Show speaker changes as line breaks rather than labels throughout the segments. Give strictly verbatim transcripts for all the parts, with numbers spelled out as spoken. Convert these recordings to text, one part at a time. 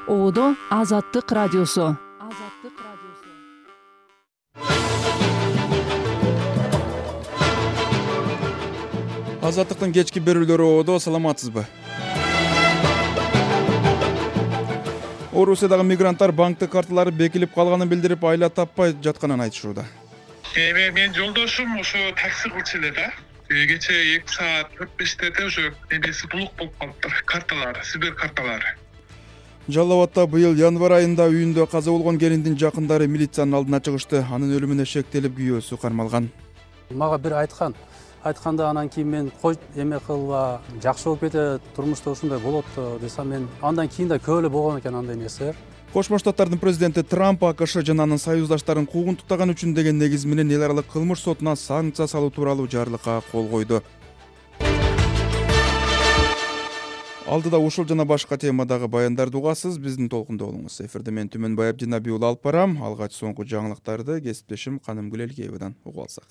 Одо Азаттык радиосу. Азаттык радиосу.
Азаттыктын кечки берүүлөрү Одо, саламатсызбы? Орусиядагы мигранттар банктык карталары бекилип калганын билдирип, айла таппай жатканын айтышууда.
Эми мен жолдошум ошо такси кылчу эле да. Кече эки саат төрт бештеде уже эмеси булук болуп калыптыр. Карталары, Сбер карталары.
Жалал Абадта быйыл январь айында үйүндө каза болгон келиндин жакындары милициянын алдына чыгышты. Анын өлүмүнө шектелип күйөөсү кармалган.
Мага бир айткан. Айтканда анан кийин мен кой эме кылба, жакшы болуп кетет, турмушта ушундай болот десем, мен андан кийин да көп эле болгон экен андай нерсе.
Кошмо Штаттардын президенти Трамп АКШ жана анын союздаштарын куугунтуктаган үчүн деген негиз менен эл аралык кылмыш сотуна санкция салуу тууралуу жарлыкка кол койду. Алдыда ушул жана башка темадагы баяндарды угасыз, биздин толкунда болуңуз. Эфирде мен Түмөнбай Абдинабий уулу алып барам. Алгач соңку жаңылыктарды кесиптешим Каным Гүлелгеевадан угуп алсак.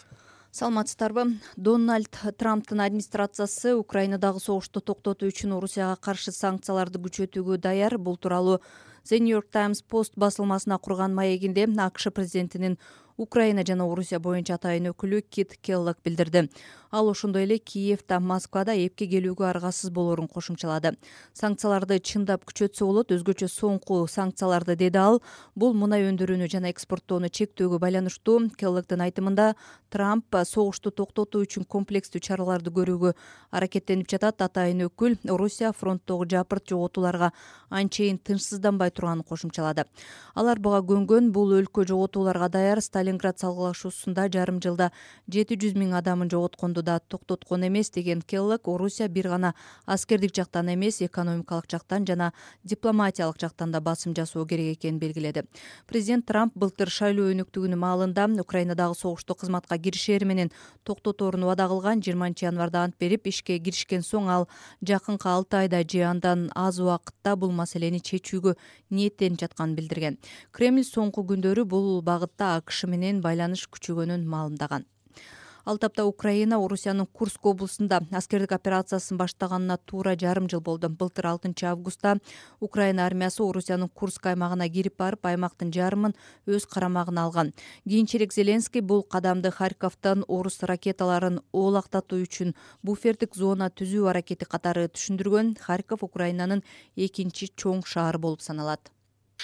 Саламатсыздарбы? Дональд Трамптын администрациясы Украинадагы согушту токтотуу үчүн Орусияга каршы санкцияларды күчөтүүгө даяр. Бул тууралуу The New York Times Post басылмасына курган маегинде АКШ президентинин Украина жана Орусия боюнча атайын өкүлү Кит Келлог билдирди. Ал ошондой эле Киевда, Москвада эпке келүүгө аргасыз болоорун кошумчалады. Санкцияларды чындап күчөтсө болот, өзгөчө соңку санкцияларды, деди ал. Бул мунай өндүрүүнү жана экспорттоону чектөөгө байланыштуу. Келлогдун айтымында, Трамп согушту токтотуу үчүн комплекстүү чараларды көрүүгө аракеттенип жатат. Атайын өкүл Орусия фронттогу жапырт жоготууларга анчейин тынчсызданбай турганын кошумчалады. Алар буга көнгөн. Бул өлкө жоготууларга даяр. Сталинград салгылашуусунда жарым жылда жети жүз миң адамын жоготконду да токтоткон эмес, деген Келлог. Орусия бир гана аскердик жактан эмес, экономикалык жактан жана дипломатиялык жактан да басым жасоо керек экенин белгиледи. Президент Трамп былтыр шайлоо өнүктүгүнүн маалында Украинадагы согушту кызматка киришери менен токтоторун убада кылган. жыйырманчы январда ант берип, ишке киришкен соң ал жакынкы алты айда же андан аз убакытта бул маселени чечүүгө ниеттенип жатканын билдирген. Кремль соңку күндөрү бул багытта АКШ менен байланыш күчөгөнүн маалымдаган. Ал тапта Украина Орусиянын Курск облусунда аскердик операциясын баштаганына туура жарым жыл болду. Былтыр алтынчы августта Украина армиясы Орусиянын Курск аймагына кирип барып, аймактын жарымын өз карамагына алган. Кийинчерээк Зеленский бул кадамды Харьковдон орус ракеталарын оолактатуу үчүн буфердик зона түзүү аракети катары түшүндүргөн. Харьков Украинанын экинчи чоң шаары болуп саналат.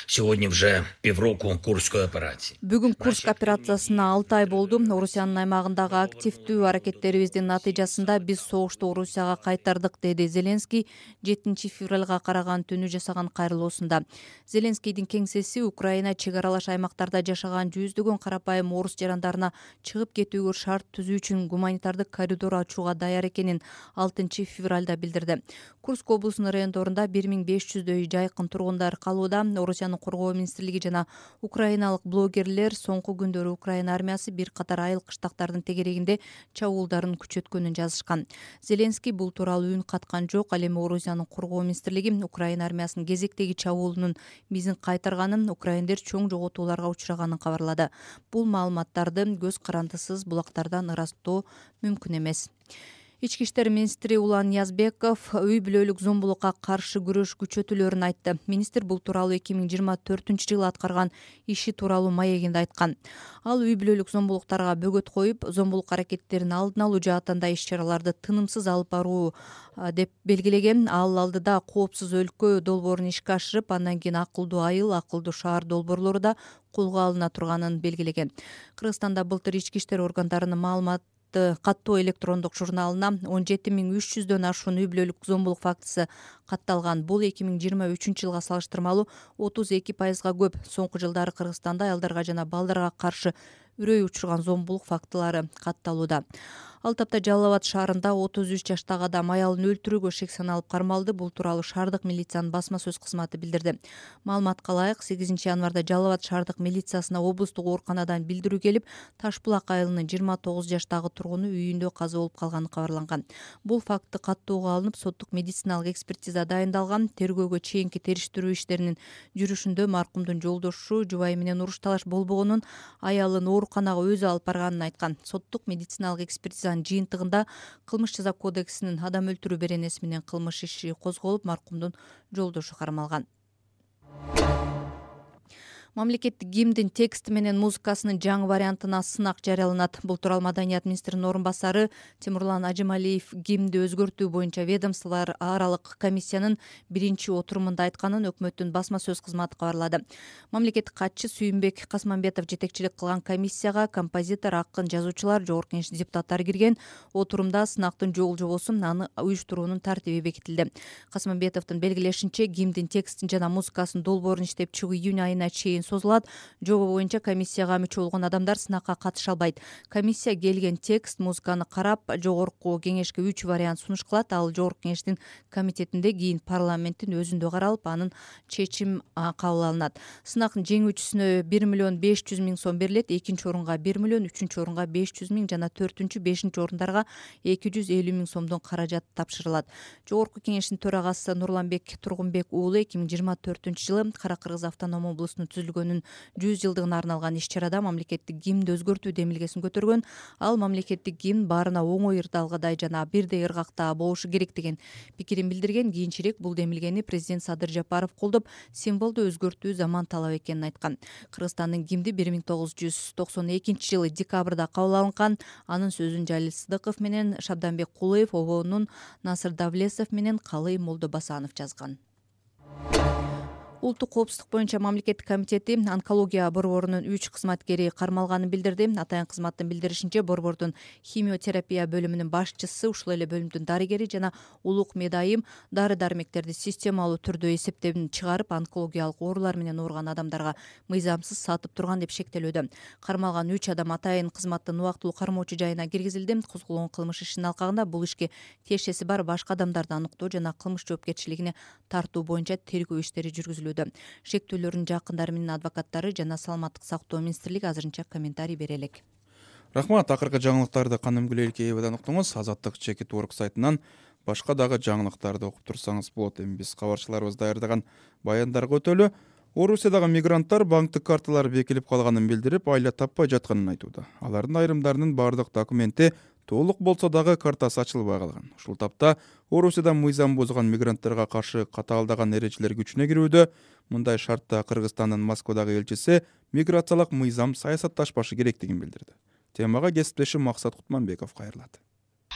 Сегодня уже півроку Курской операции.
Бүгүн Курск операциясына алты ай болду. Орусиянын аймагындагы активдүү аракеттерибиздин натыйжасында биз согушту Орусияга кайтардык, деди Зеленский жетинчи февралга караган түнү жасаган кайрылуусунда. Зеленскийдин кеңсеси Украина чек аралаш аймактарда жашаган жүздөгөн карапайым орус жарандарына чыгып кетүүгө шарт түзүү үчүн гуманитардык коридор ачууга даяр экенин алтынчы февралда билдирди. Курск облусунун райондорунда бир миң беш жүздөй жайкын тургундар калууда. Орусиянын коргоо министрлиги жана украиналык блогерлер соңку күндөрү Украина армиясы бир катар айыл кыштактардын тегерегинде чабуулдарын күчөткөнүн жазышкан. Зеленский бул тууралуу үн каткан жок. Ал эми Орусиянын коргоо министрлиги Украина армиясынын кезектеги чабуулунун мизин кайтарганын, украиндер чоң жоготууларга учраганын кабарлады. Бул маалыматтарды көз карандысыз булактардан ырастоо мүмкүн эмес. Ички иштер министри Улан Язбеков үй бүлөлүк зомбулукка каршы күрөш күчөтүлөрүн айтты. Министр бул тууралуу эки миң жыйырма төртүнчү жылы аткарган иши тууралуу маегинде айткан. Ал үй бүлөлүк зомбулуктарга бөгөт коюп, зомбулук аракеттерин алдын алуу жаатында иш-чараларды тынымсыз алып баруу деп белгилеген. Ал алдыда коопсуз өлкө долбоорун ишке ашырып, андан кийин акылдуу айыл, акылдуу шаар долбоорлору да колго алына турганын белгилеген. Кыргызстанда былтыр ички иштер органдарынын маалымат каттоо электрондук журналына он жети миң үч жүздөн ашуун үй бүлөлүк зомбулук фактысы катталган. Бул эки миң жыйырма үчүнчү жылга салыштырмалуу отуз эки пайызга көп. Соңку жылдары Кыргызстанда аялдарга жана балдарга каршы үрөй учурган зомбулук фактылары катталууда. Ал тапта Жалал Абад шаарында отуз үч жаштагы адам аялын өлтүрүүгө шек саналып кармалды. Бул тууралуу шаардык милициянын басма сөз кызматы билдирди. Маалыматка ылайык, сегизинчи январда Жалал Абад шаардык милициясына облустук ооруканадан билдирүү келип, Ташбулак айылынын жыйырма тогуз жаштагы тургуну үйүндө каза болуп калганы кабарланган. Бул факты каттоого алынып, соттук медициналык экспертиза дайындалган. Тергөөгө чейинки териштирүү иштеринин жүрүшүндө маркумдун жолдошу жубайы менен уруш талаш болбогонун, аялын ооруканага өзү алып барганын айткан. Соттук медициналык экспертизанын жыйынтыгында кылмыш жаза кодексинин адам өлтүрүү беренеси менен кылмыш иши козголуп, маркумдун жолдошу кармалган. Мамлекеттик гимндин тексти менен музыкасынын жаңы вариантына сынак жарыяланат. Бул тууралуу Маданият министринин орун басары Тимурлан Ажималиев гимнди өзгөртүү боюнча ведомстволор аралык комиссиянын биринчи отурумунда айтканын өкмөттүн басма сөз кызматы кабарлады. Мамлекеттик катчы Сүйүнбек Касманбетов жетекчилик кылган комиссияга композитор, акын, жазуучулар, жогорку кеңеш депутаттары кирген. Отурумда сынактын жол жобосу, аны уюштуруунун тартиби бекитилди. Касманбетовдун белгилешинче, гимндин текстин жана музыкасынын долбоорун иштеп чыгуу июнь айына чейин созулат. Жоба боюнча комиссияга мүчө болгон адамдар сынакка катыша албайт. Комиссия келген текст, музыканы карап, жогорку кеңешке үч вариант сунуш кылат. Ал жогорку кеңештин комитетинде кийин парламенттин өзүндө каралып, анын чечим кабыл алынат. Сынактын жеңүүчүсүнө бир миллион беш жүз миң сом берилет, экинчи орунга бир миллион, үчүнчү орунга беш жүз миң жана төртүнчү, бешинчи орундарга эки жүз элүү миң сомдон каражат тапшырылат. Жогорку кеңештин төрагасы Нурланбек Тургунбек уулу эки миң жыйырма төртүнчү жылы Кара-Кыргыз автоном облусунун түзүлгөнүн жүз жылдыгына арналган иш-чарада мамлекеттик гимнди өзгөртүү демилгесин көтөргөн. Ал мамлекеттик гимн баарына оңой ырдалгыдай жана бирдей ыргакта болушу керек деген пикирин билдирген. Кийинчерээк бул демилгени президент Садыр Жапаров колдоп, символду өзгөртүү заман талап экенин айткан. Кыргызстандын гимни бир миң тогуз жүз токсон экинчи жылы декабрда кабыл алынган. Анын сөзүн Жалил Сыдыков менен Шабданбек Кулуев, обоонун Насыр Давлесов менен Калый Молдобасанов жазган. Улуттук коопсуздук боюнча мамлекеттик комитети онкология борборунун үч кызматкери кармалганын билдирди. Атайын кызматтын билдиришинче, борбордун химиотерапия бөлүмүнүн башчысы, ушул эле бөлүмдүн дарыгери жана улук медайым дары-дармектерди системалуу түрдө эсептен чыгарып, онкологиялык оорулар менен ооруган адамдарга мыйзамсыз сатып турган деп шектелүүдө. Кармалган үч адам атайын кызматтын убактылуу кармоочу жайына киргизилди. Козголгон кылмыш ишинин алкагында бул ишке тиешеси бар башка адамдарды аныктоо жана кылмыш жоопкерчилигине тартуу боюнча тергөө иштери жүргүзүлүүдө. Шектүүлөрдүн жакындары менен адвокаттары жана Саламаттык сактоо министрлиги азырынча комментарий бере элек.
Рахмат. Акыркы жаңылыктарды Каным Гүлелкеевадан уктуңуз. Азаттык Чекит Орг сайтынан башка дагы жаңылыктарды окуп турсаңыз болот. Эми биз кабарчыларыбыз даярдаган баяндарга өтөлү. Орусиядагы мигранттар банктык карталары бекилип калганын билдирип, айла таппай жатканын айтууда. Алардын айрымдарынын бардык документи толук болсо дагы картасы ачылбай калган. Ушул тапта Орусияда мыйзам бузган мигранттарга каршы катаалдаган эрежелер күчүнө кирүүдө. Мындай шартта Кыргызстандын Москвадагы элчиси миграциялык мыйзам саясатташпашы керектигин билдирди. Темага кесиптешим Максат Кутманбеков кайрылат.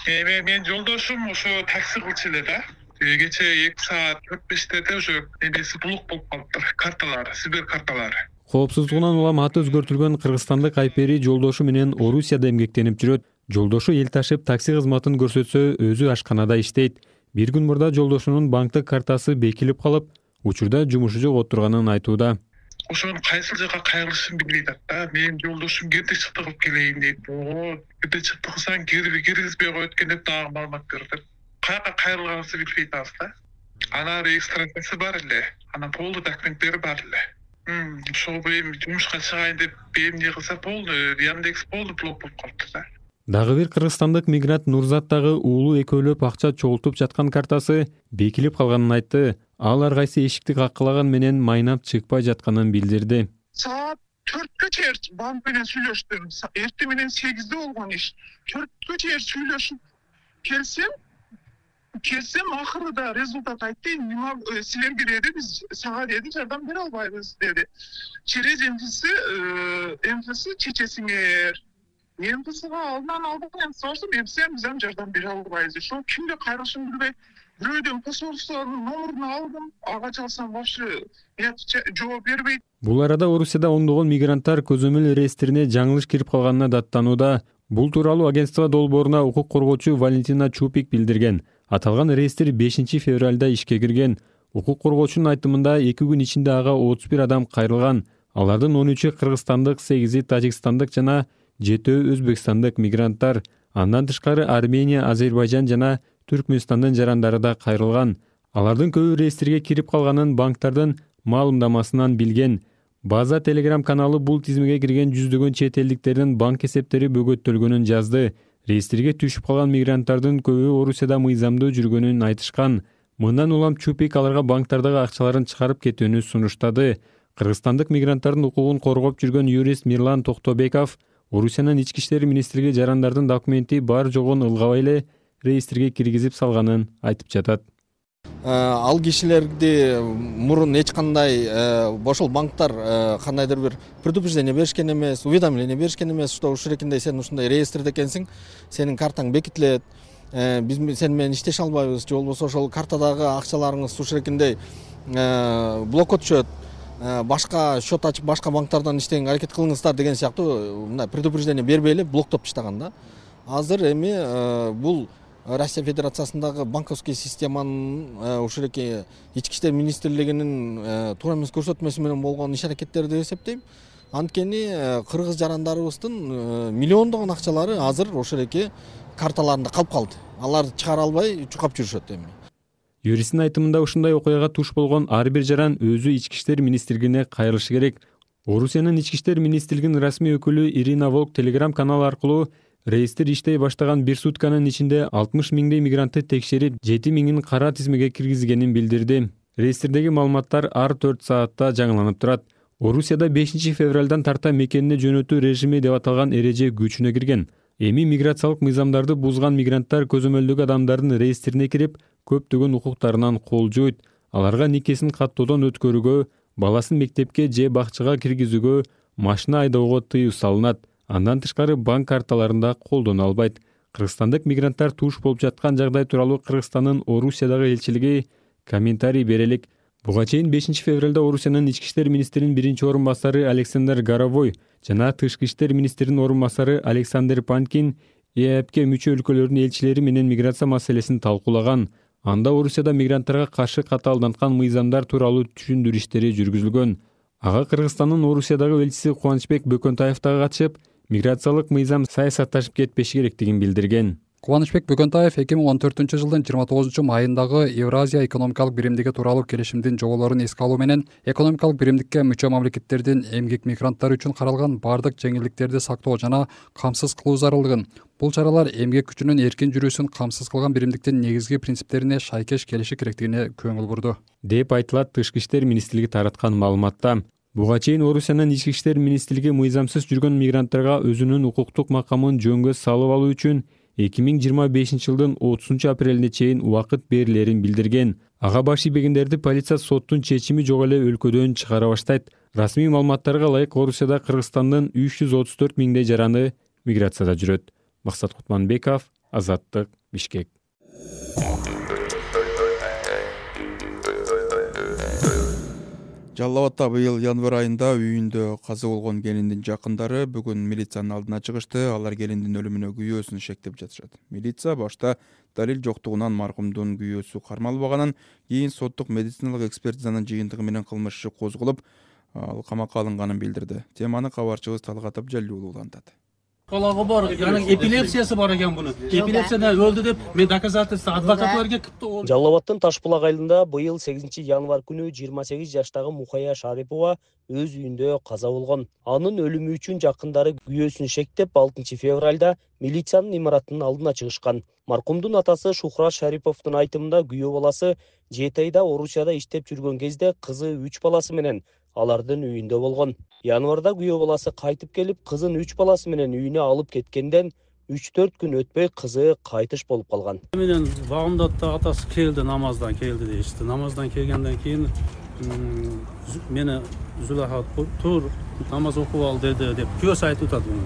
Эми мен жолдошум ушу такси кылчу эле да. Кечээ эки саат төрт бештеде уже эмеси блок болуп калыптыр, карталары, сибир карталары.
Коопсуздугунан улам аты өзгөртүлгөн кыргызстандык Айпери жолдошу менен Орусияда эмгектенип жүрөт. Жолдошу эл ташып такси кызматын көрсөтсө, өзү ашканада иштейт. Бир күн мурда жолдошунун банктык картасы бекилип калып, учурда жумушу жок отурганын айтууда.
Ошонун кайсыл жака кайрылышын билбей атат да. Менин жолдошум кирди чыкты кылып келейин дейт. Оо, кирди чыкты кылсаң кирби киргизбей коет экен деп дагы маалымат берди. Каяка кайрылганыбызды билбей атабыз да. Анан регистрациясы бар эле, анан полдуу документтери бар эле. Ошол эми жумушка чыгайын деп эмне кылса полду, Яндекс полду блок болуп калыптыр да.
Дагы бир кыргызстандык мигрант Нурзат дагы уулу экөөлөп акча чогултуп жаткан картасы бекилип калганын айтты. Ал ар кайсы эшикти каккылаган менен майнап чыкпай жатканын билдирди.
Саат төрткө чейин банк менен сүйлөштүм. Эртең менен сегизде болгон иш. төрткө чейин сүйлөшүп келсем, келсем акырында результат айтты. Мага силерге деди, биз сага деди жардам бере албайбыз деди. Через эмдиси, эмдиси чечесиңер. Эмдисига алдынан алдым, сорсум, эмси биз ham жардам бере албайбыз. Ошо кимге кайрылышымды билбей, бирөөдөн посольствонун номерин алдым, ага чалсам вообще жооп бербейт.
Бул арада Орусияда ондогон мигранттар көзөмөл реестрине жаңылыш кирип калганына даттанууда. Бул тууралуу агентство долбооруна укук коргоочу Валентина Чупик билдирген. Аталган реестр бешинчи февралда ишке кирген. Укук коргоочунун айтымында эки күн ичинде ага отуз бир адам кайрылган. Алардын он үчү кыргызстандык, сегизи тажикстандык жана жетөө өзбекстандык мигранттар. Андан тышкары Армения, Азербайжан жана Түркмөнстандын жарандары да кайрылган. Алардын көбү реестрге кирип калганын банктардын маалымдамасынан билген. База Telegram каналы бул тизмеге кирген жүздөгөн чет элдиктердин банк эсептери бөгөттөлгөнүн жазды. Реестрге түшүп калган мигранттардын көбү Орусияда мыйзамдуу жүргөнүн айтышкан. Мындан улам Чупик аларга банктардагы акчаларын чыгарып кетүүнү сунуштады. Кыргызстандык мигранттардын укугун коргоп жүргөн юрист Мирлан Токтобеков Орусиянын ички иштер министрлиги жарандардын документи бар жогун ылгабай эле реестрге киргизип салганын айтып жатат.
Ал кишилерди мурун эч кандай ошол банктар кандайдыр бир предупреждение беришкен эмес, уведомление беришкен эмес, что ушурекиндей сен ушундай реестрде экенсиң, сенин картаң бекитилет, биз сен менен иштеше албайбыз, же болбосо ошол картадагы акчаларыңыз ушурекиндей блокко түшөт, башка счет ачып башка банктардан иштегенге аракет кылыңыздар деген сыяктуу мындай предупреждение бербей эле блоктоп таштаган да. Азыр эми бул Россия Федерациясындагы банковский системанын ушуреки ички иштер министрлигинин туура эмес көрсөтмөсү менен болгон иш аракеттери деп эсептейм. Анткени кыргыз жарандарыбыздын миллиондогон акчалары азыр ошореки карталарында калып калды. Аларды чыгара албай чукап жүрүшөт эми.
Юристтин айтымында ушундай окуяга туш болгон ар бир жаран өзү ички иштер министрлигине кайрылышы керек. Орусиянын ички иштер министрлигинин расмий өкүлү Ирина Волк Telegram каналы аркылуу реестр иштей баштаган бир сутканын ичинде алтымыш миңдей мигрантты текшерип, жети миңин кара тизмеге киргизгенин билдирди. Реестрдеги маалыматтар ар төрт саатта жаңыланып турат. Орусияда бешинчи февралдан тарта мекенине жөнөтүү режими деп аталган эреже күчүнө кирген. Эми миграциялык мыйзамдарды бузган мигранттар көзөмөлдөгү адамдардын реестрине кирип, көптөгөн укуктарынан кол жуйт. Аларга никесин каттоодон өткөрүүгө, баласын мектепке же бакчага киргизүүгө, машина айдоого тыюу салынат. Андан тышкары банк карталарында колдоно албайт. Кыргызстандык мигранттар туш болуп жаткан жагдай тууралуу Кыргызстандын Орусиядагы элчилиги комментарий берелик. Буга чейин бешинчи февралда Орусиянын ички иштер министринин биринчи орун басары Александр Горовой жана тышкы иштер министринин орун басары Александр Панкин ЭАЭПке мүчө өлкөлөрдүн элчилери менен миграция маселесин талкуулаган. Анда Орусияда мигранттарга каршы катаалданткан мыйзамдар тууралуу түшүндүрүү иштери жүргүзүлгөн. Ага Кыргызстандын Орусиядагы элчиси Кубанычбек Бөкөнтаев дагы катышып, миграциялык мыйзам саясатташып кетпеши керектигин билдирген.
Кубанычбек Бөкөнтаев эки миң он төртүнчү жылдын жыйырма тогузунчу майындагы Евразия экономикалык биримдиги тууралуу келишимдин жоболорун эске алуу менен экономикалык биримдикке мүчө мамлекеттердин эмгек мигранттары үчүн каралган бардык жеңилдиктерди сактоо жана камсыз кылуу зарылдыгын, бул чаралар эмгек күчүнүн эркин жүрүүсүн камсыз кылган биримдиктин негизги принциптерине шайкеш келиши керектигине көңүл бурду, деп айтылат тышкы иштер министрлиги тараткан маалыматта. Буга чейин Орусиянын ички иштер министрлиги мыйзамсыз жүргөн мигранттарга өзүнүн укуктук макамын жөнгө салып алуу үчүн эки миң жыйырма бешинчи жылдын отузунчу апрелине чейин убакыт берилерин билдирген. Ага баш ийбегендерди полиция соттун чечими жок эле өлкөдөн чыгара баштайт. Расмий маалыматтарга ылайык Орусияда Кыргызстандын үч жүз отуз төрт миңдей жараны миграцияда жүрөт. Максат Кутманбеков, Азаттык, Бишкек.
Жалал Абадта быйыл январь айында үйүндө каза болгон келиндин жакындары бүгүн милициянын алдына чыгышты. Алар келиндин өлүмүнө күйөөсүн шектеп жатышат. Милиция башта далил жоктугунан маркумдун күйөөсү кармалбаганын, кийин соттук медициналык экспертизанын жыйынтыгы менен кылмыш иши козголуп, ал камакка алынганын билдирди. Теманы кабарчыбыз Талгат Абжалилуулу улантат.
Калагы бар, яны эпилепсиясы бар экен буну. Эпилепсиядан өлдү деп мен доказательство адвокатларга кыпты.
Жалал Абадтын Ташбулак айылында быйыл сегизинчи январь күнү жыйырма сегиз жаштагы Мухая Шарипова өз үйүндө каза болгон. Анын өлүмү үчүн жакындары күйөөсүн шектеп алтынчы февралда милициянын имаратынын алдына чыгышкан. Маркумдун атасы Шухрат Шариповдун айтымында күйөө баласы жети айда Орусияда иштеп жүргөн кезде кызы үч баласы менен алардын үйүндө болгон. Январда күйөө баласы кайтып келип, кызын үч баласы менен үйүнө алып кеткенден үч төрт күн өтпөй кызы кайтыш болуп калган.
Менен багымда атасы келди, намаздан келди дейишти. Намаздан келгенден кийин мени Зулаха тур, намаз окуп ал деди деп күйөөсү айтып атат муну.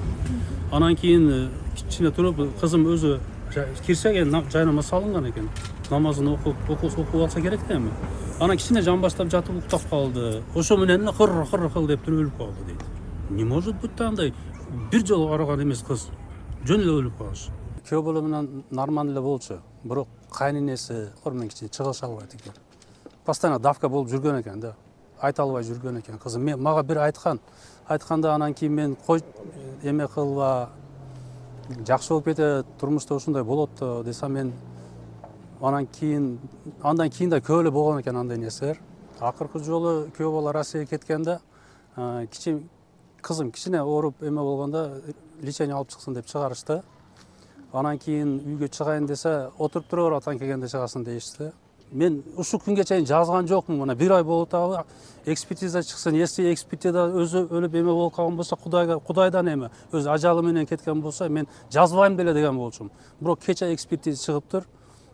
Анан кийин кичине туруп кызым өзү кирсе жайнама салынган экен. Намазын окуп окуп алса керек да эми. Анан кичине жан баштап жатып уктап калды. Ошо менен кыр кыр кыл деп туруп өлүп калды дейт. Не может быть андай бир жолу караган эмес кыз жөн эле өлүп калыш. Күйөө бала менен нормально эле болчу. Бирок кайненеси кормен кичине чыгыша албайт экен. Постоянно давка болуп жүргөн экен да. Айта албай жүргөн экен кызым. Мен мага бир айткан. Айтканда анан кийин мен кой эме кылба жакшы болуп кетет, турмушта ушундай болот десем мен анан кийин андан кийин да көп эле болгон экен андай нерселер. Акыркы жолу күйөө бала Россияга кеткенде кичи кызым кичине ооруп эме болгондо лечение алып чыксын деп чыгарышты. Анан кийин үйгө чыгайын десе, отуруп тура бер атаң келгенде чыгасың дейишти. Мен ушул күнгө чейин жазган жокмун. Мына бир ай болуп атабы экспертиза чыксын. Если экспертиза өзү өлүп эме болуп калган болсо, Кудайга Кудайдан эме өзү ажалы менен кеткен болсо, мен жазбайм деле деген болчумун. Бирок кече экспертиза чыгыптыр.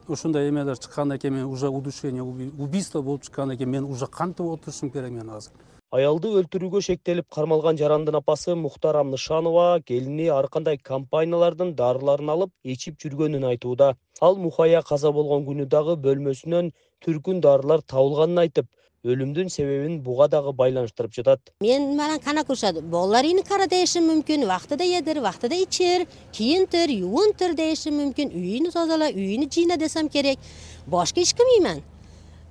ушундай эмелер чыккандан кийин мен уже удушение, убийство болуп чыккандан кийин мен уже кантип отурушум керек мен азыр.
Аялды өлтүрүүгө шектелип кармалган жарандын апасы Мухтарам Нышанова келини ар кандай компаниялардын дарыларын алып ичип жүргөнүн айтууда. Ал Мухая каза болгон күнү дагы бөлмөсүнөн түркүн дарылар табылганын айтып, өлүмдүн себебин буга дагы байланыштырып жатат.
Мен менен кана курушат. Балдарыны кара дешим мүмкүн, вактыда едир, вактыда ичер, кийинтир, юунтир дешим мүмкүн. Үйүнү тазала, үйүнү жыйна десем керек. Башка эч кимиймен.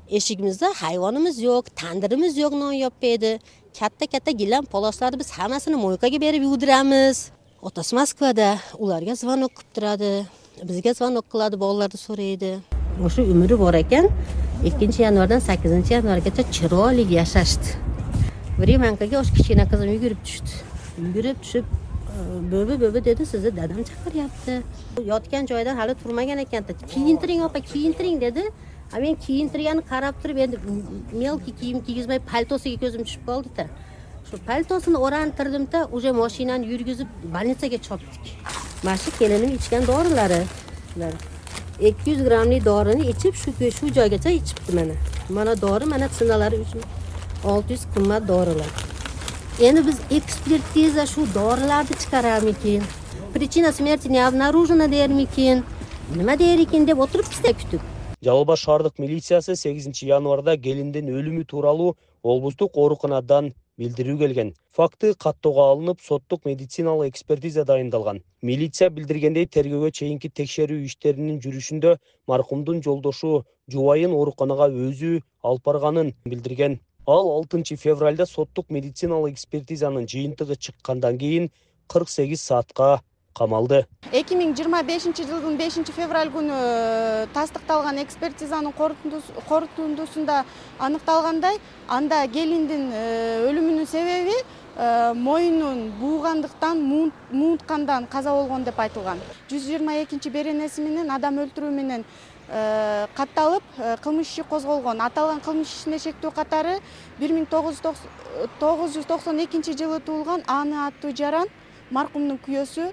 Эшигибизде хайваныбыз жок, тандырыбыз жок, нон жаппайды. Катта-катта гилем полосларды биз хаммасын мойкага берип юдурамыз. Отасы Москвада, уларга звонок кылып турады. Бизге звонок кылады, балдарды сурайды. Ошо өмүрү бар экен. экинчи январдан сакизинчи январгаcha чыролик жашашты. Времянкага ош кичине кызым үйгүрүп түштү. Үйгүрүп түшүп, бөбө-бөбө деди, сизди дадам чакырыпты. Yotkан жойдон хали турмаган экен. Кийинтириң апа, кийинтириң деди. А мен кийинтиргенин карап туруп, энди мелкий кийим кийгизбей пальтосуга көзүм түшүп калды да. Ошо пальтосун орантырдым да, уже машинаны жүргүзүп больницага чоптук. Машы келиним ичкен дорулары. эки жүз граммный дорunu ичип, шу шу joygacha ичипти мана. Mana dori, mana сыналары үчүн алты жүз кымбат дорулар. Эми биз экспертиза шу доруларды чыгарамыкен? Причина смерти не обнаружена дермикен? Нема дер экен деп отуруп бизде күтүп.
Жалал Абад шаардык милициясы сегизинчи январда келиндин өлүмү тууралуу облустук ооруканадан билдирүү келген. Факты каттоого алынып, соттук медициналык экспертиза дайындалган. Милиция билдиргендей, тергөөгө чейинки текшерүү иштеринин жүрүшүндө маркумдун жолдошу жубайын ооруканага өзү алып барганын билдирген. Ал алтынчы февралда соттук медициналык экспертизанын жыйынтыгы чыккандан кийин кырк сегиз саатка камалды.
эки миң жыйырма бешинчи жылдын бешинчи февраль күнү тастыкталган экспертизанын корутундусунда аныкталгандай, анда келиндин өлүмүнүн себеби моюнун буугандыктан, муунткандан каза болгон деп айтылган. жүз жыйырма экинчи беренеси менен адам өлтүрүү менен катталып, кылмыш иши козголгон. Аталган кылмыш ишине шектүү катары бир миң тогуз жүз токсон экинчи жылы туулган Аны аттуу жаран маркумдун күйөөсү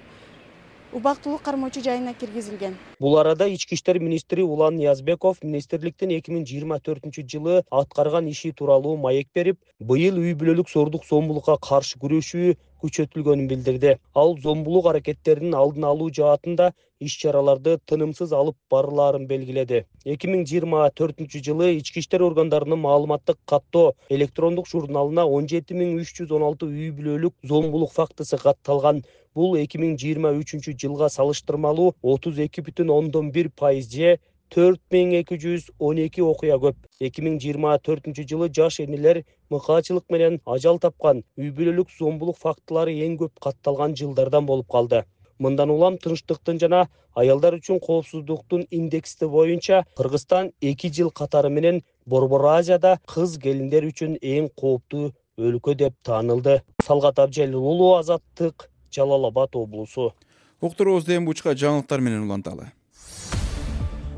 убактылуу кармоочу жайына киргизилген.
Бул арада ички иштер министри Улан Ниязбеков министрликтин эки миң жыйырма төртүнчү жылы аткарган иши тууралуу маек берип, быйыл үй бүлөлүк зордук зомбулукка каршы күрөшүү күчөтүлгөнүн билдирди. Ал зомбулук аракеттеринин алдын алуу жаатында иш-чараларды тынымсыз алып барылаарын белгиледи. эки миң жыйырма төртүнчү жылы ички иштер органдарынын маалыматтык каттоо электрондук журналына он жети миң үч жүз он алты үй бүлөлүк зомбулук фактысы катталган. Бул эки миң жыйырма үчүнчү жылга салыштырмалуу отуз эки бүтүн ондон бир пайыз же төрт миң эки жүз он эки окуя көп. эки миң жыйырма төртүнчү жылы жаш энелер мыкаачылык менен ажал тапкан үй бүлөлүк зомбулук фактылары эң көп катталган жылдардан болуп калды. Мындан улам тынчтыктын жана аялдар үчүн коопсуздуктун индекси боюнча Кыргызстан эки жыл катары менен Борбор Азияда кыз келиндер үчүн эң кооптуу өлкө деп таанылды. Салгат Абжалил уулу, Азаттык, Жалал Абад облусу.
Уктуруубузду эми бучка жаңылыктар менен уланталы.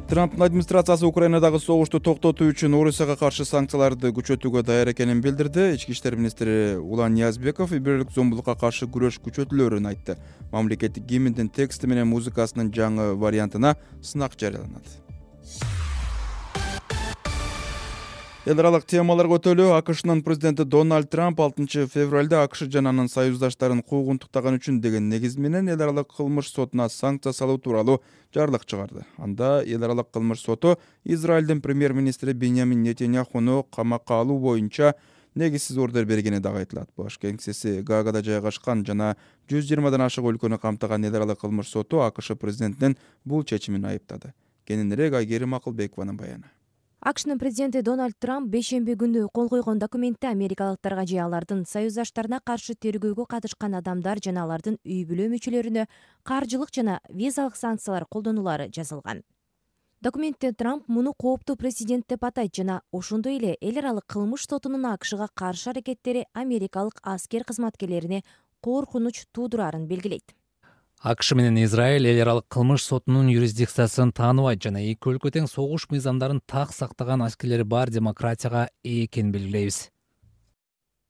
Трамптын администрациясы Украинадагы согушту токтотуу үчүн Орусияга каршы санкцияларды күчөтүүгө даяр экенин билдирди. Ички иштер министри Улан Ниязбеков үй бүлөлүк зомбулукка каршы күрөш күчөтүлөрүн айтты. Мамлекеттик гимндин тексти менен музыкасынын жаңы вариантына сынак жарыяланат. Эл аралык темаларга өтөлү. АКШнын президенти Дональд Трамп алтынчы февралда АКШ жана анын союздаштарын куугунтуктаган үчүн деген негиз менен эл аралык кылмыш сотуна санкция салуу тууралуу жарлык чыгарды. Анда эл аралык кылмыш соту Израилдин премьер-министри Беньямин Нетаньяхуну камакка алуу боюнча негизсиз ордер бергени дагы айтылат. Баш кеңсеси Гаагада жайгашкан жана жүз жыйырмадан ашык өлкөнү камтыган эл аралык кылмыш соту АКШ президентинин бул чечимин айыптады. Кененирээк Айгерим Акылбекованын баяны.
АКШнын президенти Дональд Трамп бейшемби күнү кол койгон документте америкалыктарга же алардын союздаштарына каршы тергөөгө катышкан адамдар жана алардын үй бүлө мүчөлөрүнө каржылык жана визалык санкциялар колдонулары жазылган. Документте Трамп муну кооптуу президент деп атайт жана ошондой эле эл аралык кылмыш сотунун АКШга каршы аракеттери америкалык аскер кызматкерлерине коркунуч туудурарын белгилейт.
АКШ менен Израиль эл аралык кылмыш сотунун юрисдикциясын тааныбайт жана эки өлкө тең согуш мыйзамдарын так сактаган аскерлери бар демократияга ээ экенин белгилейбиз.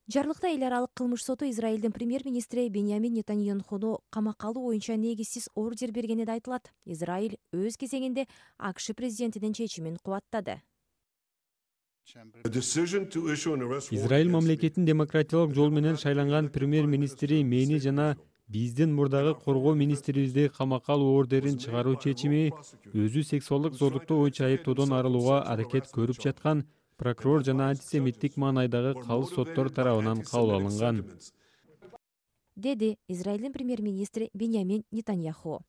Жарлыкта эл аралык кылмыш соту Израилдин премьер-министри Беньямин Нетаньяхуну камакка алуу боюнча негизсиз ордер бергени да айтылат. Израиль өз кезегинде АКШ президентинин чечимин кубаттады.
Израиль мамлекетинин демократиялык жол менен шайланган премьер-министри мени жана биздин мурдагы коргоо министрибизди камакка алуу ордерин чыгаруу чечими өзү сексуалдык зорлуктоо боюнча айыптоодон арылууга аракет көрүп жаткан прокурор жана антисемиттик маанайдагы калыс соттор тарабынан кабыл алынган,
деди Израилдин премьер-министри Беньямин Нетаньяху.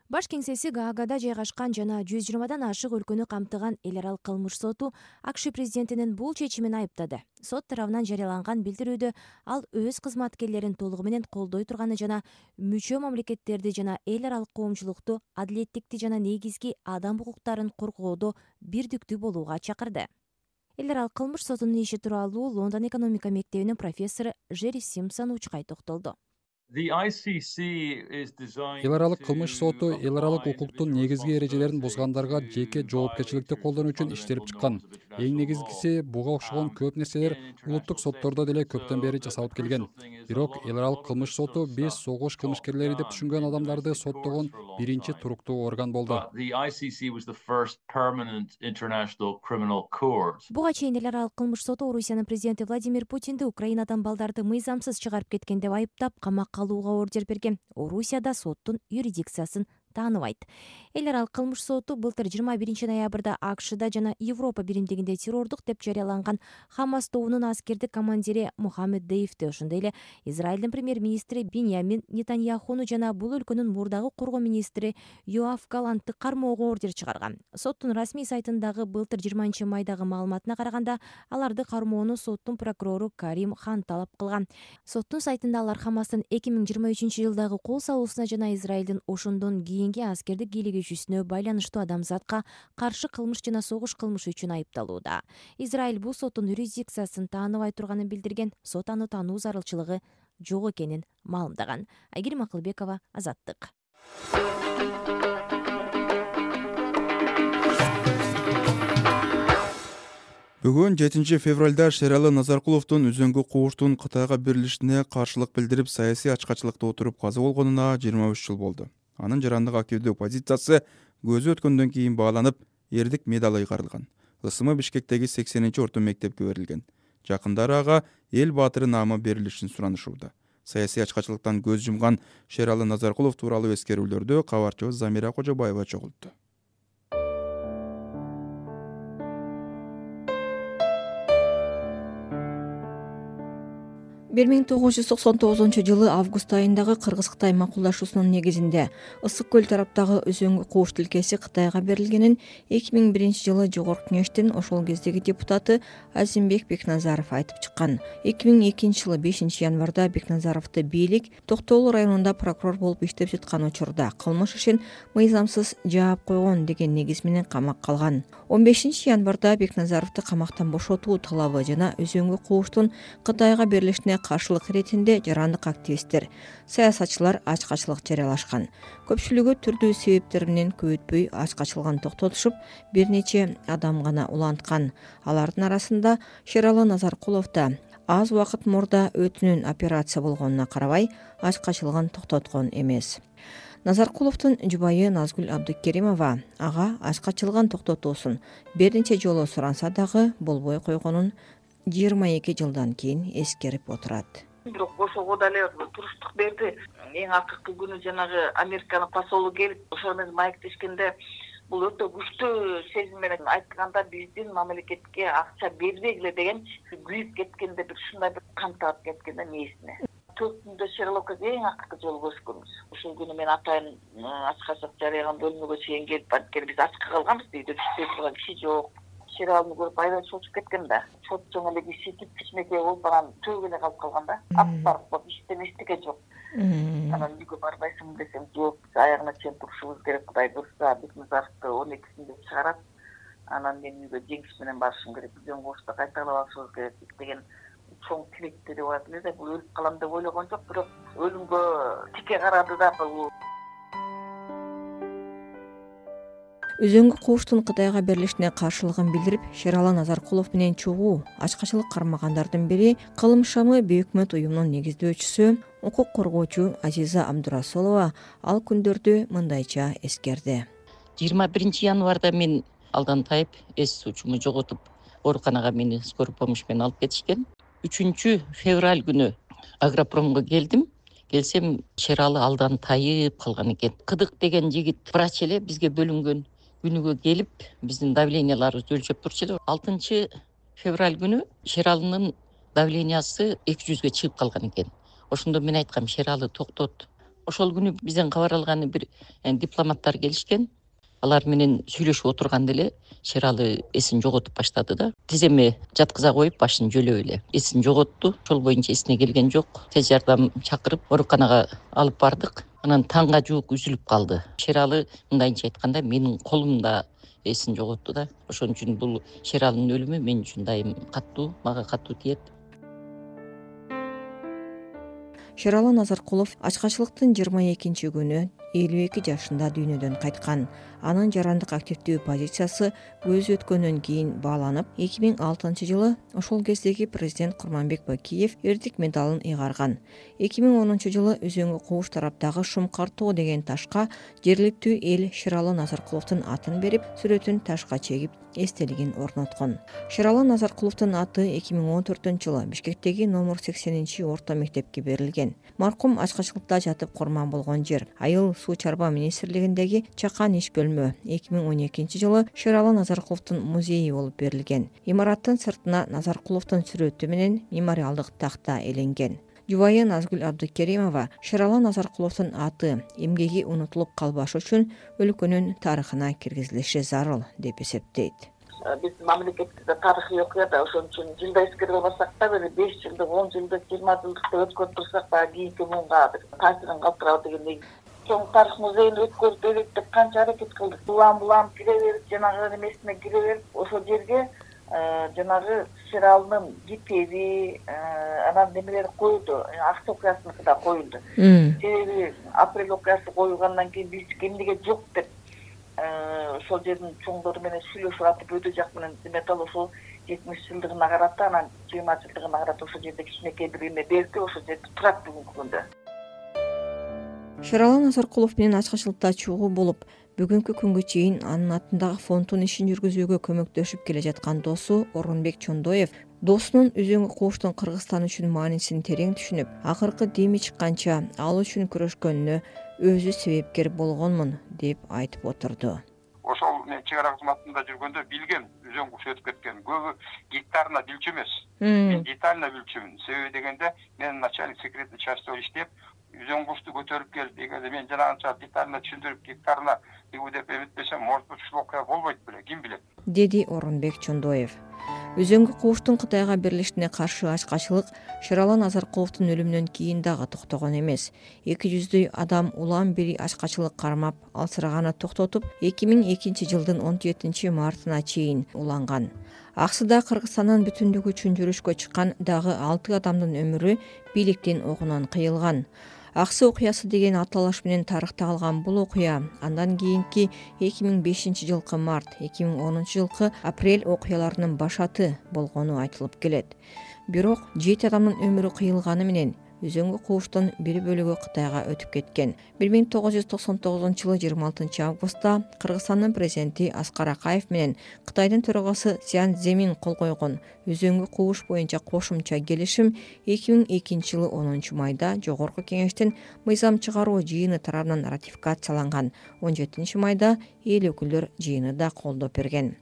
Баш кеңсеси Гаагада жайгашкан жана жүз жыйырмадан ашык өлкөнү камтыган эл аралык кылмыш соту АКШ президентинин бул чечимин айыптады. Сот тарабынан жарыяланган билдирүүдө ал өз кызматкерлерин толугу менен колдой турганы жана мүчө мамлекеттерди жана эл аралык коомчулукту адилеттикти жана негизги адам укуктарын коргоодо бирдиктүү болууга чакырды. Эл аралык кылмыш сотунун иши тууралуу Лондон экономика мектебинин профессору Джерри Симпсон учкай токтолду.
Эл аралык кылмыш соту эл аралык укуктун негизги эрежелерин бузгандарга жеке жоопкерчиликти колдонуу үчүн иштелип чыккан. Эң негизгиси буга окшогон көп нерселер улуттук соттордо деле көптөн бери жасалып келген. Бирок эл аралык кылмыш соту биз согуш кылмышкерлери деп түшүнгөн адамдарды соттогон биринчи туруктуу орган болду.
Буга чейин эл аралык кылмыш соту Орусиянын президенти Владимир Путинди Украинадан балдарды мыйзамсыз чыгарып кеткен деп айыптап, камакка алууга ордер берген. Орусияда соттун юрисдикциясын тааныбайт. Эл аралык кылмыш соту былтыр жыйырма биринчи ноябрда АКШда жана Европа биримдигинде террордук деп жарыяланган Хамас тобунун аскердик командири Мухаммед Деифти, ошондой эле Израилдин премьер-министри Беньямин Нетаньяхуну жана бул өлкөнүн мурдагы коргоо министри Йоав Галантты кармоого ордер чыгарган. Соттун расмий сайтындагы былтыр жыйырманчы майдагы маалыматына караганда, аларды кармоону соттун прокурору Карим Хан талап кылган. Соттун сайтында алар Хамастын эки миң жыйырма үчүнчү жылдагы кол салуусуна жана Израилдин ошондон кийинки аскердик бийлигүүчүсүнө байланыштуу адамзатка каршы кылмыш жана согуш кылмышы үчүн айыпталууда. Израиль бул соттун юрисдикциясын тааныбай турганын билдирген, сот аны таануу зарылчылыгы жок экенин маалымдаган. Айгерим Акылбекова, Азаттык.
Бүгүн жетинчи февралда Шералы Назаркуловдун Үзөңгү кууштун Кытайга берилишине каршылык билдирип саясий ачкачылыкта отуруп каза болгонуна жыйырма үч жыл болду. Анын жарандык активдүү позициясы көзү өткөндөн кийин бааланып, эрдик медалы ыйгарылган. Ысымы Бишкектеги сексенинчи орто мектепке берилген. Жакындары ага эл баатыры наамы берилишин суранышууда. Саясий ачкачылыктан көз жумган Шералы Назаркулов тууралуу эскерүүлөрдү кабарчыбыз Замира Кожобаева чогултту.
бир миң тогуз жүз токсон тогузунчу жылы август айындагы Кыргыз-Кытай макулдашуусунун негизинде Ысык көл тараптагы Үзөңгү кууш тилкеси Кытайга берилгенин эки миң биринчи жылы Жогорку Кеңештин ошол кездеги депутаты Азимбек Бекназаров айтып чыккан. эки миң экинчи жылы бешинчи январда Бекназаровду бийлик Токтоолу районунда прокурор болуп иштеп жаткан учурда кылмыш ишин мыйзамсыз жаап койгон деген негиз менен камакка алган. он бешинчи январда Бекназаровду камактан бошотуу талабы жана Үзөңгү кууштун Кытайга берилишине каршылык иретинде жарандык активисттер, саясатчылар ачкачылык жарыялашкан. Көпчүлүгү түрдүү себептер менен көп өтпөй ачкачылыгын токтотушуп, бир нече адам гана уланткан. Алардын арасында Шералы Назаркулов да аз убакыт мурда өтүнүн операция болгонуна карабай ачкачылыгын токтоткон эмес. Назаркуловдун жубайы Назгүл Абдыкеримова ага ачкачылыгын токтотуусун бир нече жолу суранса дагы болбой койгонун жыйырма эки жылдан кийин эскерип отурат.
Бирок ошого дале туруштук берди. Эң акыркы күнү жанагы Американын посолу келип, ошол менен маектешкенде бул өтө күчтүү сезим менен айтканда биздин мамлекетке акча бербегиле деген күйүп кеткенде бир ушундай бир кан таап кеткенде мээсине. төрт күндө Шерлокко эң акыркы жолу көрүшкөнбүз. Ошол күнү мен атайын ачкачылык жарыяган бөлмөгө чейин келип анткени биз ачка калганбыз, үйдө түштүп турган киши жок. Шералыны көрүп аябай чочуп кеткен да. Чот жоң эле киши кичинекей болуп анан төгүп эле калып калган да. Ап барып иштен эчтеке жок. Анан үйгө барбайсыңбы десем, жок, аягына чейин турушубуз керек, Кудай буйрса Бекназаровду он экисинде чыгарат. Анан мен үйгө жеңиш менен барышым керек, Үзөң куушта кайталап алышыбыз керек деген чоң тилектери бар эле. Бул өлүп калам деп ойлогон жок, бирок өлүмгө тике карады да бул.
Өзөңгү кууштун Кытайга берилишине каршылыгын билдирип, Шералы Назаркулов менен чогуу ачкачылык кармагандардын бири Кылым шамы бейөкмөт уюмунун негиздөөчүсү, укук коргоочу Азиза Абдурасулова ал күндөрдү мындайча эскерди.
жыйырма биринчи январда мен алдан тайып, эс сучуму жоготуп, ооруканага мени скорый помощь менен алып кетишкен. үчүнчү февраль күнү Агропромго келдим. Келсем, Шералы алдан тайып калган экен. Кыдык деген жигит врач эле бизге бөлүнгөн күнүгө келип, биздин давленияларыбызды өлчөп турчу эле. алтынчы февраль күнү Шералынын давлениясы эки жүзгө чыгып калган экен. Ошондо мен айткам, Шералы токтот. Ошол күнү бизден кабар алган бир дипломаттар келишкен. Алар менен сүйлөшүп отурганда эле Шералы эсин жоготуп баштады да. Тиземе жаткыза коюп, башын жөлөп эле эсин жоготту. Ошол боюнча эсине келген жок. Тез жардам чакырып, ооруканага алып бардык. Анан таңга жуук үзүлүп калды. Шералы мындайча айтканда менин колумда эсин жоготту да. Ошон үчүн бул Шералынын өлүмү мен үчүн дайым каттуу, мага каттуу тиет.
Шералы Назаркулов ачкачылыктын жыйырма экинчи күнү элүү эки жашында дүйнөдөн кайткан. Анын жарандык активдүү позициясы көз өткөндөн кийин бааланып, эки миң алтынчы жылы ошол кездеги президент Курманбек Бакиев эрдик медалын ыйгарган. эки миң онунчу жылы Өзөңгү кууш тараптагы Шумкар тоо деген ташка жергиликтүү эл Шералы Назаркуловдун атын берип, сүрөтүн ташка чегип, эстелигин орноткон. Шералы Назаркуловдун аты эки миң он төртүнчү жылы Бишкектеги номер сексенинчи орто мектепке берилген. Маркум ачкачылыкта жатып курман болгон жер Айыл суу чарба министрлигиндеги чакан иш бөлмө эки миң он экинчи жылы Шералы Назаркуловдун музейи болуп берилген. Имараттын сыртына Назаркуловдун сүрөтү менен мемориалдык такта эленген. Жубайы Назгүл Абдыкеримова Шералы Назаркуловдун аты, эмгеги унутулуп калбашы үчүн өлкөнүн тарыхына киргизилиши зарыл деп эсептейт.
Биз мамлекетте тарыхый окуяда ошон үчүн жылда эскере алсак да, бир беш жылдык, он жылдык, жыйырма жылдыкты өткөрүп турсак, баягы кийинки муунга бир таасирин калтырабы дегендей. Чоң тарых музейин өткөрүп берет деп канча аракет кылдык. Улам улам кире берип, жанагы эмесине кире берип, ошол жерге жанагы Шералынын китеби, анан немелери коюлду, акча окуясыныкы да коюлду. Себеби апрель окуясы коюлгандан кийин биз эмнеге жок деп ошол жердин чоңдору менен сүйлөшүп атып, өтө жак менен металл ошол жетимиш жылдыгына карата, анан жыйырма жылдыгына карата ошол жерде кичинекей бир эме берди, ошол жерде турат бүгүнкү күндө.
Шералы Назаркулов менен ачкачылыкта чогуу болуп, бүгүнкү күнгө чейин анын атындагы фонддун ишин жүргүзүүгө көмөктөшүп келе жаткан досу Орунбек Чондоев досунун Өзөңгү кууштун Кыргызстан үчүн маанисин терең түшүнүп, акыркы деми чыкканча ал үчүн күрөшкөнүнө өзү себепкер болгонмун деп айтып отурду.
Ошол мен чек ара кызматында жүргөндө билгем, Өзөң кууш өтүп кеткен. Көбү гектарына билчү эмес. Мен детально билчүмүн. Себеби дегенде мен начальник секретный частьта иштеп, Өзөң кушту көтөрүп келип, дегенде мен жанагынча детально түшүндүрүп гектарына бигу деп эметпесем, может быть, ушул окуя болбойт беле, ким билет,
деди Орунбек Чондоев. Өзөңгү кууштун Кытайга берилишине каршы ачкачылык Шералы Назаркуловдун өлүмүнөн кийин дагы токтогон эмес. эки жүздөй адам улам бери ачкачылык кармап, алсыраганы токтотуп, эки миң экинчи жылдын он жетинчи мартына чейин уланган. Аксыда Кыргызстандын бүтүндүгү үчүн жүрүшкө чыккан дагы алты адамдын өмүрү бийликтин огунан кыйылган. Аксы окуясы деген аталыш менен тарыхта калган бул окуя андан кийинки эки миң бешинчи жылкы март, эки миң онунчу жылкы апрель окуяларынын башаты болгону айтылып келет. Бирок жети адамдын өмүрү кыйылганы менен Өзөңгү кууштун бир бөлүгү Кытайга өтүп кеткен. бир миң тогуз жүз токсон тогузунчу жылы жыйырма алтынчы августта Кыргызстандын президенти Аскар Акаев менен Кытайдын төрагасы Цзян Цземин кол койгон Өзөңгү кууш боюнча кошумча келишим эки миң экинчи жылы онунчу майда Жогорку Кеңештин мыйзам чыгаруу жыйыны тарабынан ратификацияланган. он жетинчи майда эл өкүлдөр жыйыны да колдоп берген.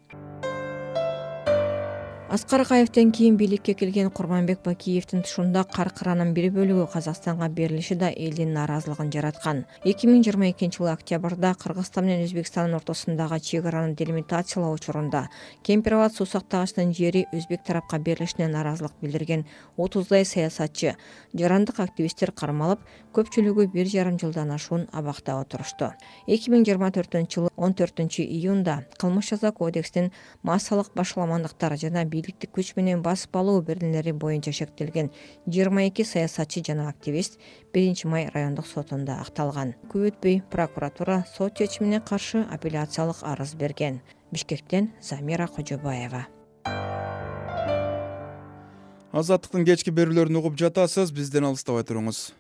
Аскар Акаевден кийин бийликке келген Курманбек Бакиевдин тушунда каркыранын бир бөлүгү Казакстанга берилиши да элдин нааразылыгын жараткан. эки миң жыйырма экинчи жылы октябрда Кыргызстан менен Өзбекстандын ортосундагы чек араны делимитациялоо учурунда Кемпироват суу сактагычынын жери өзбек тарапка берилишине нааразылык билдирген отуздай саясатчы, жарандык активисттер кармалып, көпчүлүгү бир жарым жылдан ашуун абакта отурушту. эки миң жыйырма төртүнчү жылы он төртүнчү июнда Кылмыш жаза кодексинин массалык башаламандыктар жана бийликтик күч менен басып алуу беренелери боюнча шектелген жыйырма эки саясатчы жана активист биринчи май райондук сотунда акталган. Көп өтпөй прокуратура сот чечимине каршы апелляциялык арыз берген. Бишкектен Замира Кожобаева.
Азаттыктын кечки берүүлөрүн угуп жатасыз, бизден алыстабай туруңуз.